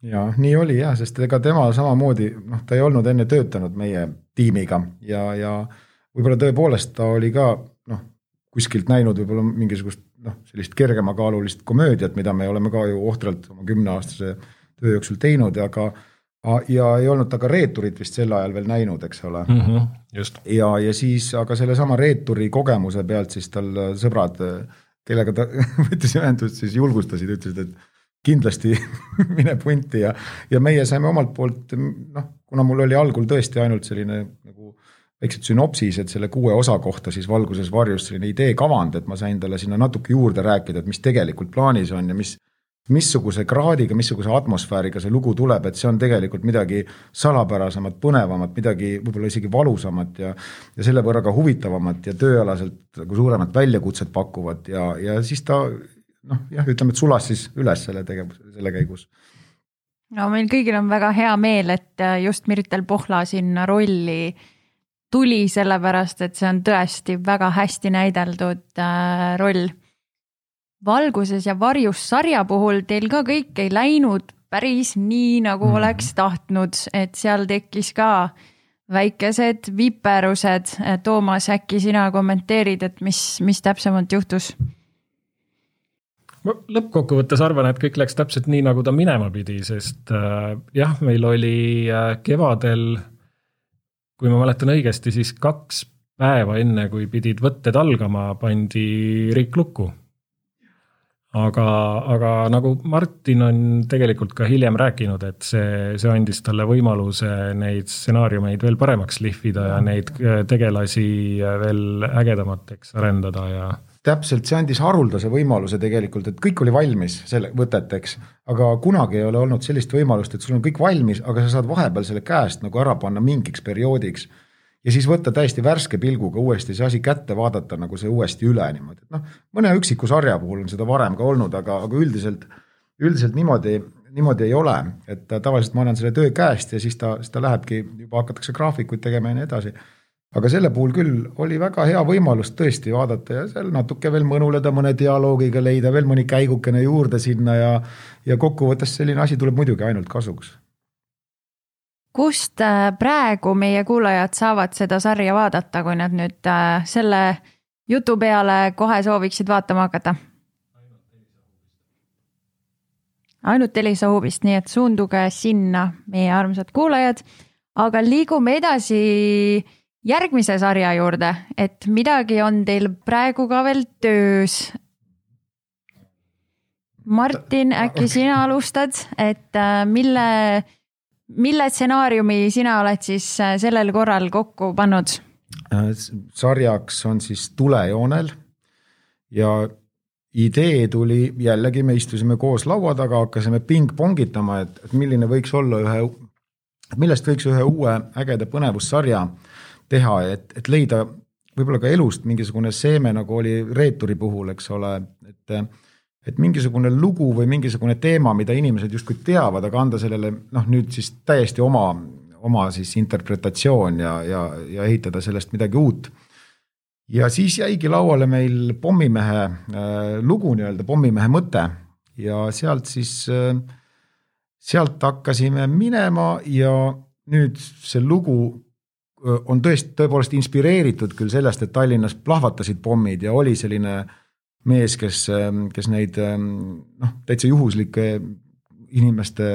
Ja nii oli jah, sest ega tema samamoodi, noh, ta ei olnud enne töötanud meie tiimiga ja, ja võib-olla tõepoolest ta oli ka noh, kuskilt näinud võib-olla mingisugust noh, sellist kergemakaalulist komöödiat, mida me oleme ka ju ohtralt oma kümneaastase töö jooksul teinud, aga ja ei olnud ta ka reeturit vist sel ajal veel näinud, eks ole. Mm-hmm, just. Ja, ja siis aga selle sama reeturi kogemuse pealt siis tal sõbrad, kellega ta võttis ühendust, siis julgustasid, ütlesid, et kindlasti mine punti ja, ja meie saime omalt poolt, noh, kuna mul oli algul tõesti ainult selline nagu väiksed sünopsis, et selle kuue osa kohta siis valguses varjus selline idee kavand, et ma sain talle sinna natuke juurde rääkida, et mis tegelikult plaanis on ja mis, missuguse kraadiga, missuguse atmosfääriga see lugu tuleb, et see on tegelikult midagi salapärasemat, põnevamat, midagi võib-olla isegi valusamat ja, ja selle võrra ka huvitavamat ja tööalaselt suuremat väljakutset pakuvat ja, ja siis ta, noh, jah, ütleme, et sulas siis üles selle tegevus, selle käigus. No meil kõigil on väga hea meel, et just Mirtel Pohla sinna rolli tuli sellepärast, et see on tõesti väga hästi näideldud äh, roll. Valguses ja varjus sarja puhul teil ka kõik ei läinud päris nii, nagu mm. oleks tahtnud, et seal tekkis ka väikesed viperused. Toomas, äkki sina kommenteerid, et mis, mis täpsemalt juhtus? Ma lõppkokkuvõttes arvan, et kõik läks täpselt nii, nagu ta minema pidi, sest äh, jah, meil oli äh, kevadel kui ma mäletan õigesti, siis kaks päeva enne, kui pidid võtted algama, pandi Riik lukku. Aga, aga nagu Martin on tegelikult ka hiljem rääkinud, et see, see andis talle võimaluse neid stsenaariumeid veel paremaks lihvida ja neid tegelasi veel ägedamateks arendada. Ja täpselt, see andis haruldase võimaluse tegelikult, et kõik oli valmis selle võteteks, aga kunagi ei ole olnud sellist võimalust, et sul on kõik valmis, aga sa saad vahepeal selle käest nagu ära panna mingiks perioodiks ja siis võtta täiesti värske pilguga uuesti see asi kätte vaadata nagu see uuesti üle niimoodi. No, mõne üksiku sarja puhul on seda varem ka olnud, aga, aga üldiselt, üldiselt niimoodi, niimoodi ei ole, et tavaliselt ma annan selle töö käest ja siis ta, siis ta lähebki, juba hakatakse graafikuid tegema ja nii edasi. Aga selle puhul küll oli väga hea võimalus tõesti vaadata ja seal natuke veel mõnuleda mõne dialoogiga leida, veel mõni käigukene juurde sinna ja, ja kokkuvõttes selline asi tuleb muidugi ainult kasuks. Kust praegu meie kuulajad saavad seda sarja vaadata, kui nad nüüd selle jutu peale kohe sooviksid vaatama hakata? Ainult Elisa Hubist, nii et suunduge sinna meie armsad kuulajad, aga liigume edasi järgmise sarja juurde, et midagi on teil praegu ka veel töös. Martin, äkki sina alustad, et mille, mille stsenaariumi sina oled siis sellel korral kokku pannud? sarjaks on siis Tulejoonel ja idee tuli jällegi, me istusime koos laua taga, hakkasime ping-pongitama, et, et milline võiks olla ühe, millest võiks ühe uue ägeda põnevussarja teha, et, et leida võib-olla ka elust mingisugune seeme, nagu oli Reeturi puhul, eks ole, et, et mingisugune lugu või mingisugune teema, mida inimesed justkui teavad, aga anda sellele noh, nüüd siis täiesti oma, oma siis interpretatsioon ja, ja, ja ehitada sellest midagi uut. Ja siis jäigi lauale meil Pommimehe äh, lugu, nii-öelda Pommimehe mõte ja sealt siis, äh, sealt hakkasime minema ja nüüd see lugu on tõesti tõepoolest inspireeritud küll sellest, et Tallinnas plahvatasid pommid ja oli selline mees, kes, kes neid noh, täitsa juhuslike inimeste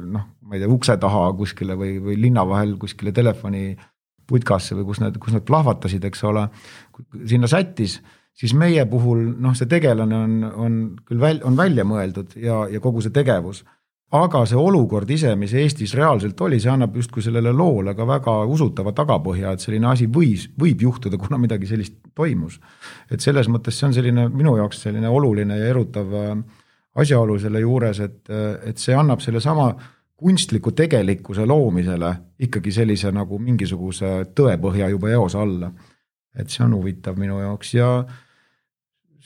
noh, ma ei tea, ukse taha kuskile või, või linna vahel kuskile telefoni putkasse või kus nad, kus nad plahvatasid, eks ole, sinna sättis, siis meie puhul noh, see tegelane on, on küll väl, on välja mõeldud ja, ja kogu see tegevus. Aga see olukord ise, mis Eestis reaalselt oli, see annab justkui sellele loole ka väga usutava tagapõhja, et selline asi võis, võib juhtuda, kuna midagi sellist toimus. Et selles mõttes see on selline, minu jaoks selline oluline ja erutav asjaolu selle juures, et, et see annab selle sama kunstliku tegelikkuse loomisele ikkagi sellise nagu mingisuguse tõepõhja juba eos alla. Et see on huvitav minu jaoks ja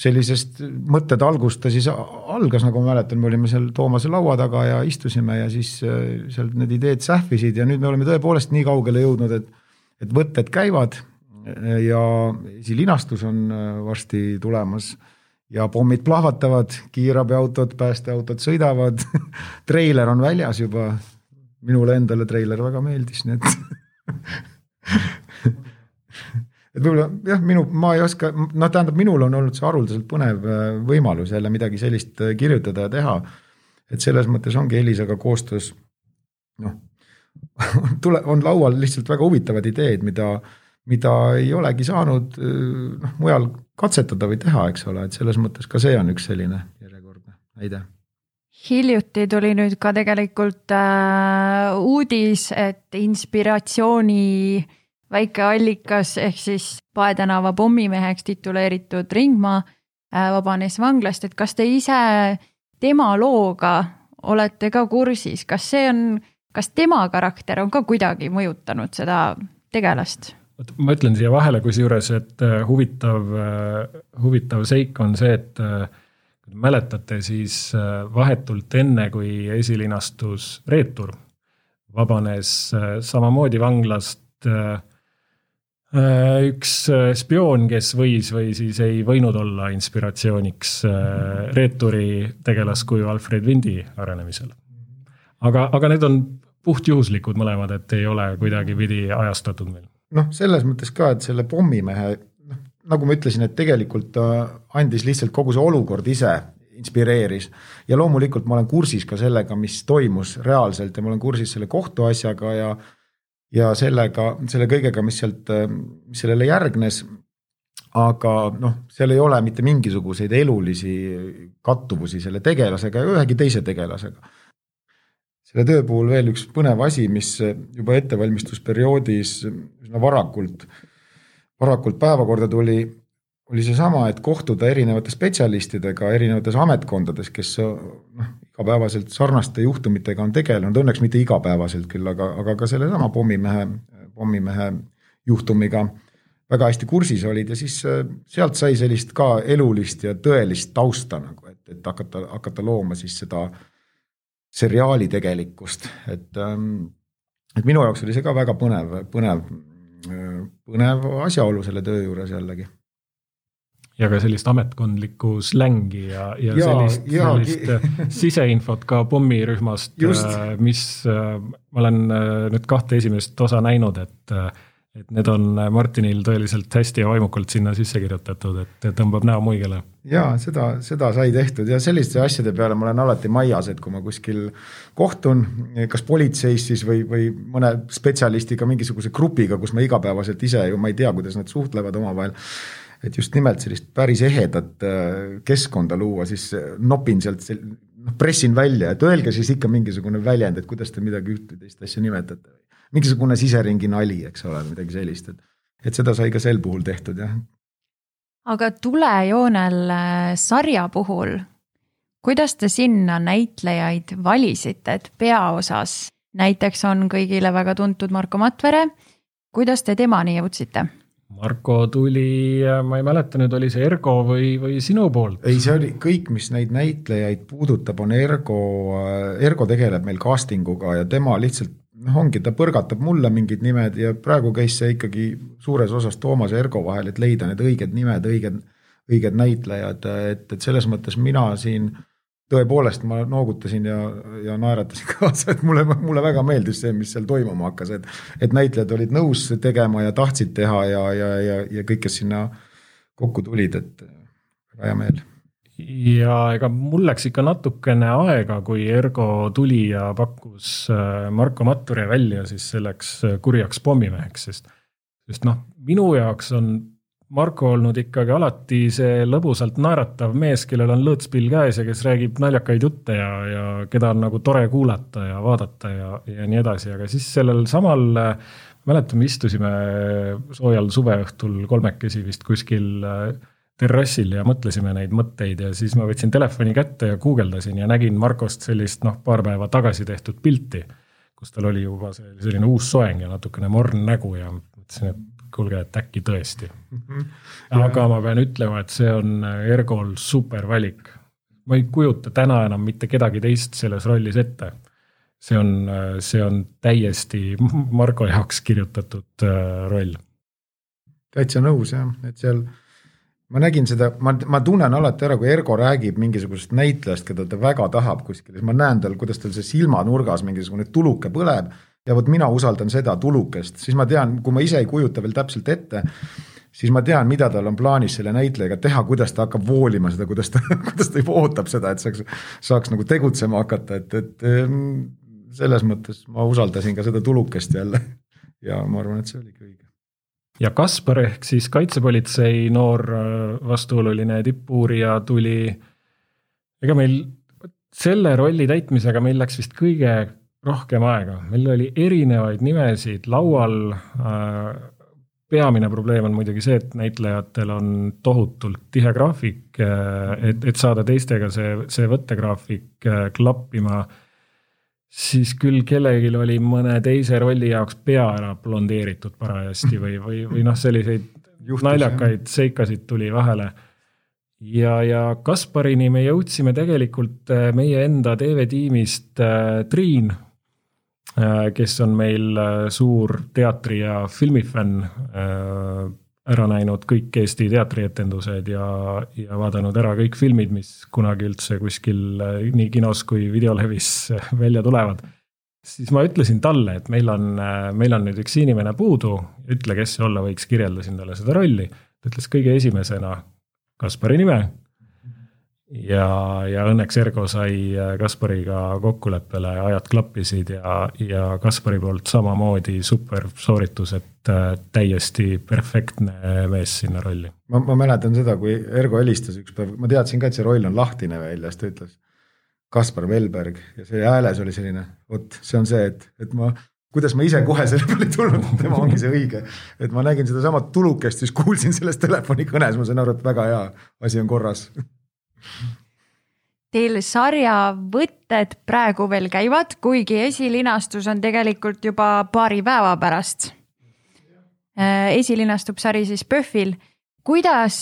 sellisest mõtted algusta siis algas, nagu ma mäletan, me olime seal Toomase laua taga ja istusime ja siis sealt need ideed sähvisid ja nüüd me oleme tõepoolest nii kaugele jõudnud, et, et võtted käivad ja esilinastus on varsti tulemas ja pommid plahvatavad, kiirabiautod, päästeautod sõidavad, treiler on väljas juba, minule endale treiler väga meeldis, nii et et võib-olla, jah, minu, ma ei oska, no tähendab, minul on olnud see haruldaselt põnev võimalus jälle midagi sellist kirjutada ja teha, et selles mõttes ongi Elisaga koostöös, noh, tule, on laual lihtsalt väga huvitavad ideed, mida, mida ei olegi saanud noh, mujal katsetada või teha, eks ole, et selles mõttes ka see on üks selline järjekordne näide. Hiljuti tuli nüüd ka tegelikult äh, uudis, et inspiratsiooni väike allikas ehk siis Paetänava pommimeheks tituleeritud Ringmaa vabanes vanglast, et kas te ise tema looga olete ka kursis, kas see on, kas tema karakter on ka kuidagi mõjutanud seda tegelast? Ma ütlen siia vahele kusjuures, et huvitav, huvitav seik on see, et kui mäletate, siis vahetult enne, kui esilinastus Reetur vabanes samamoodi vanglast üks spioon, kes võis või siis ei võinud olla inspiratsiooniks Reeturi tegelaskuju Alfred Windi arenemisel. Aga, aga need on puhtjuhuslikud mõlemad, et ei ole kuidagi pidi ajastatud meil. Noh, selles mõttes ka, et selle pommimehe, nagu ma ütlesin, et tegelikult andis lihtsalt kogu see olukord ise inspireeris ja loomulikult ma olen kursis ka sellega, mis toimus reaalselt ja ma olen kursis selle kohtuasjaga ja ja sellega, selle kõigega, mis sealt, mis sellele järgnes, aga noh, seal ei ole mitte mingisuguseid elulisi kattuvusi selle tegelasega ja ühegi teise tegelasega. Selle töö puhul veel üks põnev asi, mis juba ettevalmistusperioodis üsna varakult, varakult päevakorda tuli, oli see sama, et kohtuda erinevate spetsialistidega erinevates ametkondades, kes noh, igapäevaselt sarnaste juhtumitega on tegelenud, õnneks mitte igapäevaselt küll, aga, aga ka selle sama pommimehe, pommimehe juhtumiga väga hästi kursis olid ja siis sealt sai sellist ka elulist ja tõelist tausta, nagu, et, et hakata, hakata looma siis seda seriaali tegelikkust. Et, et minu jaoks oli see ka väga põnev, põnev, põnev asjaolu selle töö juures jällegi. Ja ka sellist ametkondlikku slängi ja, ja, ja sellist, ja, sellist siseinfot ka pommirühmast, just. Mis ma olen nüüd kahte esimest osa näinud, et, et need on Martinil tõeliselt hästi ja vaimukalt sinna sisse kirjutatud, et tõmbab näo muigele. Ja seda, seda sai tehtud ja selliste asjade peale ma olen alati maias, et kui ma kuskil kohtun, kas politseis siis või, või mõne spetsialistiga mingisuguse grupiga, kus ma igapäevaselt ise ju ma ei tea, kuidas nad suhtlevad omavahel, et just nimelt sellist päris ehedat keskkonda luua, siis nopin sealt, pressin välja, et öelge siis ikka mingisugune väljend, et kuidas te midagi ühte teist asja nimetate. Mingisugune siseringi nali, eks ole, midagi sellist. Et, et seda sai ka sel puhul tehtud, jah. Aga Tulejoonel sarja puhul, kuidas te sinna näitlejaid valisite, et peaosas näiteks on kõigile väga tuntud Marko Matvere, kuidas te temani jõudsite? Marko tuli, ma ei mäleta nüüd, oli see Ergo või, või sinu poolt? Ei, see oli kõik, mis neid näitlejaid puudutab, on Ergo, Ergo tegeleb meil castinguga ja tema lihtsalt, noh ongi, ta põrgatab mulle mingid nimed ja praegu käis see ikkagi suures osas Toomas ja Ergo vahel, et leida need õiged nimed, õiged, õiged näitlejad, et, et selles mõttes mina siin tõepoolest ma noogutasin ja, ja naeratasin kaasa, et mulle, mulle väga meeldis see, mis seal toimuma hakkas, et, et näitlejad olid nõus tegema ja tahtsid teha ja, ja, ja, ja kõik, kes sinna kokku tulid, et väga hea meel. Ja ega mul läks ikka natukene aega, kui Ergo tuli ja pakkus Marko Matvere välja siis selleks kurjaks pommimeheks, sest, sest noh, minu jaoks on Marko olnud ikkagi alati see lõbusalt naeratav mees, kellel on lõõtspill käes ja kes räägib naljakaid jutte ja, ja keda on nagu tore kuulata ja vaadata ja, ja nii edasi, aga siis sellel samal, mäletame, istusime soojal suveõhtul kolmekesi vist kuskil terrassil ja mõtlesime neid mõtteid ja siis ma võtsin telefoni kätte ja guugeldasin ja nägin Markost sellist noh, paar päeva tagasi tehtud pilti, kus tal oli juba selline uus soeng ja natukene morn nägu ja mõtlesin, et kuulge, et äkki tõesti. Aga ma pean ütlema, et see on Ergol super valik. Ma ei kujuta täna enam mitte kedagi teist selles rollis ette. See on, see on täiesti Marko jaoks kirjutatud roll. Täitsa nõus, jah. Et seal, ma nägin seda, ma, ma tunnen alati ära, kui Ergo räägib mingisugusest näitlejast, keda ta väga tahab kuskil. Ma näen tal, kuidas tal see silmanurgas mingisugune tuluke põleb. Ja võt mina usaldan seda tulukest, siis ma tean, kui ma ise ei kujuta veel täpselt ette, siis ma tean, mida tal on plaanis selle näitlejaga teha, kuidas ta hakkab voolima seda, kuidas ta, kuidas ta ootab seda, et saaks, saaks nagu tegutsema hakata, et, et selles mõttes ma usaldasin ka seda tulukest jälle ja ma arvan, et see oli õige. Ja Kaspar ehk siis kaitsepolitsei noor vastuoluline tippuurija tuli, ega meil selle rolli täitmisega meil läks vist kõige rohkem aega. Meil oli erinevaid nimesid laual. Peamine probleem on muidugi see, et näitlejatel on tohutult tihe graafik, et, et saada teistega see, see võttegraafik klappima. Siis küll kellelgi oli mõne teise rolli jaoks pea ära blondeeritud parajasti või, või, või noh, selliseid Juhtus, naljakaid seikasid tuli vahele. Ja, ja Kasparini me jõudsime tegelikult meie enda T V-tiimist Triin, kes on meil suur teatri- ja filmifänn, ära näinud kõik Eesti teatrietendused ja, ja vaadanud ära kõik filmid, mis kunagi üldse kuskil nii kinos kui videolevis välja tulevad. Siis ma ütlesin talle, et meil on, meil on nüüd üks inimene puudu, ütle, kes see olla võiks, kirjeldasin talle seda rolli. Ta ütles kõige esimesena Kaspari nime ja, ja õnneks Ergo sai Kaspariga kokkuleppele, ajad klappisid ja, ja Kaspari poolt samamoodi super sooritus, et täiesti perfektne mees sinna rolli. Ma, ma mäletan seda, kui Ergo helistas üks päev, ma teadsin ka, et see roll on lahtine välja, siis ta ütles Kaspar Velberg ja see hääles oli selline, vot see on see, et, et ma kuidas ma ise kohe selle peale tulnud, et tema ongi see õige. Et ma nägin seda samat tulukest, siis kuulsin sellest telefoni kõnes, ma sain aru, et väga hea asi on korras. Teil sarja võtted praegu veel käivad, kuigi esilinastus on tegelikult juba paari päeva pärast. Esilinastub sari siis Pöhvil. Kuidas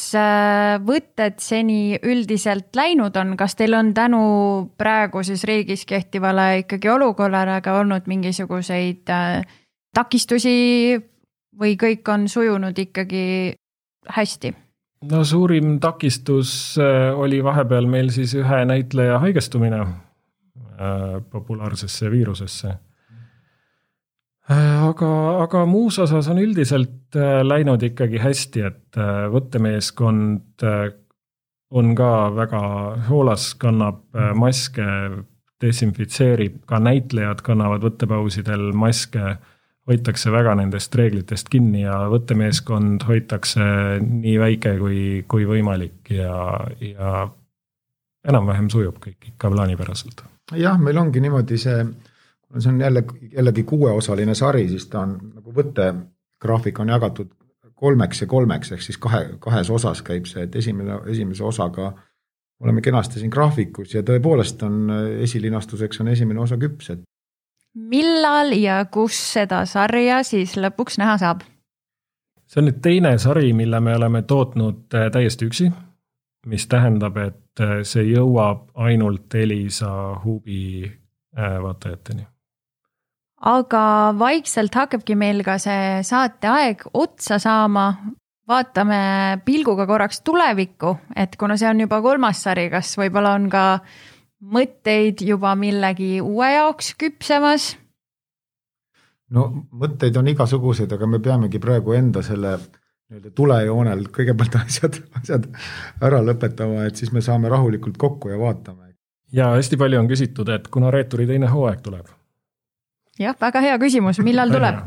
võtted seni üldiselt läinud on? Kas teil on tänu praegu siis riigis kehtivale ikkagi olukorrale ka olnud mingisuguseid takistusi või kõik on sujunud ikkagi hästi? No suurim takistus oli vahepeal meil siis ühe näitleja haigestumine populaarsesse viirusesse. Aga, aga muus osas on üldiselt läinud ikkagi hästi, et võttemeeskond on ka väga hoolas, kannab maske, desinfitseerib, ka näitlejad kannavad võttepausidel maske, hoitakse väga nendest reeglitest kinni ja võttemeeskond hoitakse nii väike kui, kui võimalik ja, ja enam-vähem sujub kõik ikka plaanipäraselt. Jah, meil ongi niimoodi see, see on jälle, jällegi kuueosaline sari, siis ta on nagu võttegraafik on jagatud kolmeks ja kolmeks, ehk siis kahe, kahes osas käib see, et esimene, esimese osaga oleme kenasti siin graafikus ja tõepoolest on esilinastuseks on esimene osa küps. Et... millal ja kus seda sarja siis lõpuks näha saab? See on nüüd teine sari, mille me oleme tootnud täiesti üksi, mis tähendab, et see jõuab ainult Elisa Hubi vaatajateni. Aga vaikselt hakkabki meil ka see saateaeg otsa saama. Vaatame pilguga korraks tulevikku, et kuna see on juba kolmas sari, kas võib-olla on ka mõtteid juba millegi uue jaoks küpsemas? No mõtteid on igasuguseid, aga me peamegi praegu enda selle tulejoonel kõigepealt asjad, asjad ära lõpetama, et siis me saame rahulikult kokku ja vaatame. Ja hästi palju on küsitud, et kuna Reeturi teine hooaeg tuleb? Jah, väga hea küsimus, millal tuleb?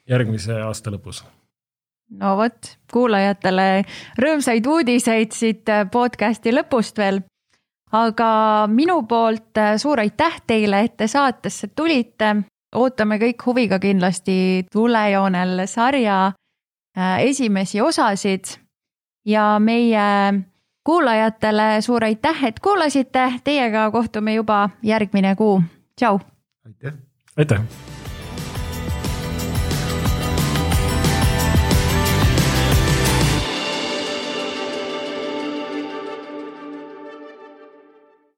Järgmise aasta lõpus. No vot, kuulajatele rõõmsaid uudiseid siit podcasti lõpust veel. Aga minu poolt suur aitäh teile, et te saatesse tulite. Ootame kõik huviga kindlasti tulejoonel sarja esimesi osasid ja meie kuulajatele suur aitäh, et kuulasite. Teiega kohtume juba järgmine kuu. Tšau! Aitäh! Aitäh!